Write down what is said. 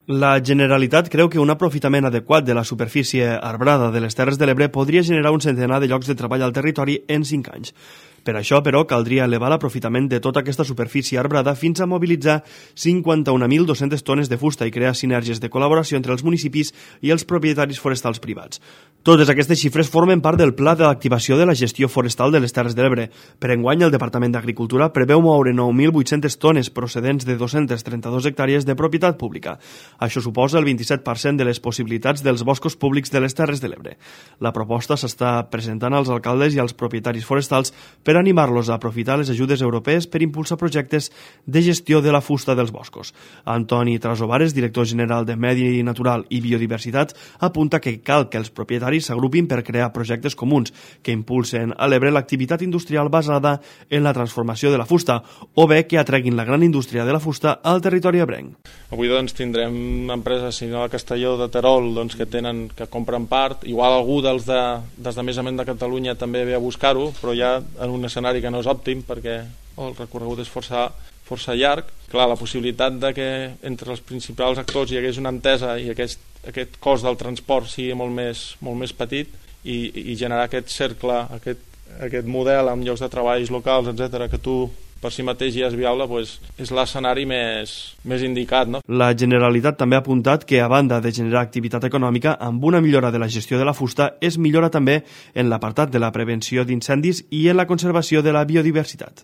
La Generalitat creu que un aprofitament adequat de la superfície arbrada de les Terres de l'Ebre podria generar un centenar de llocs de treball al territori en 5 anys. Per això, però, caldria elevar l'aprofitament de tota aquesta superfície arbrada fins a mobilitzar 51.200 tones de fusta i crear sinergies de col·laboració entre els municipis i els propietaris forestals privats. Totes aquestes xifres formen part del Pla d'activació de la gestió forestal de les Terres de l'Ebre. Per enguany, el Departament d'Agricultura preveu moure 9.800 tones procedents de 232 hectàrees de propietat pública. Això suposa el 27% de les possibilitats dels boscos públics de les Terres de l'Ebre. La proposta s'està presentant als alcaldes i als propietaris forestals per animar-los a aprofitar les ajudes europees per impulsar projectes de gestió de la fusta dels boscos. Antoni Trasobares, director general de Medi Natural i Biodiversitat, apunta que cal que els propietaris s'agrupin per crear projectes comuns que impulsen a l'Ebre l'activitat industrial basada en la transformació de la fusta o bé que atreguin la gran indústria de la fusta al territori ebrenc. Avui doncs, tindrem empreses, si no a Castelló de Terol, doncs, que compren part. Igual algú dels desmesament de Catalunya també ve a buscar-ho, però ja en un escenari que no és òptim perquè el recorregut és força llarg. Clar, la possibilitat de que entre els principals actors hi hagués una entesa i aquest cost del transport sigui molt més petit i generar aquest cercle, aquest model amb llocs de treballs locals, etc., que tu per si mateix ja és viable, doncs és l'escenari més indicat. No? La Generalitat també ha apuntat que, a banda de generar activitat econòmica, amb una millora de la gestió de la fusta, es millora també en l'apartat de la prevenció d'incendis i en la conservació de la biodiversitat.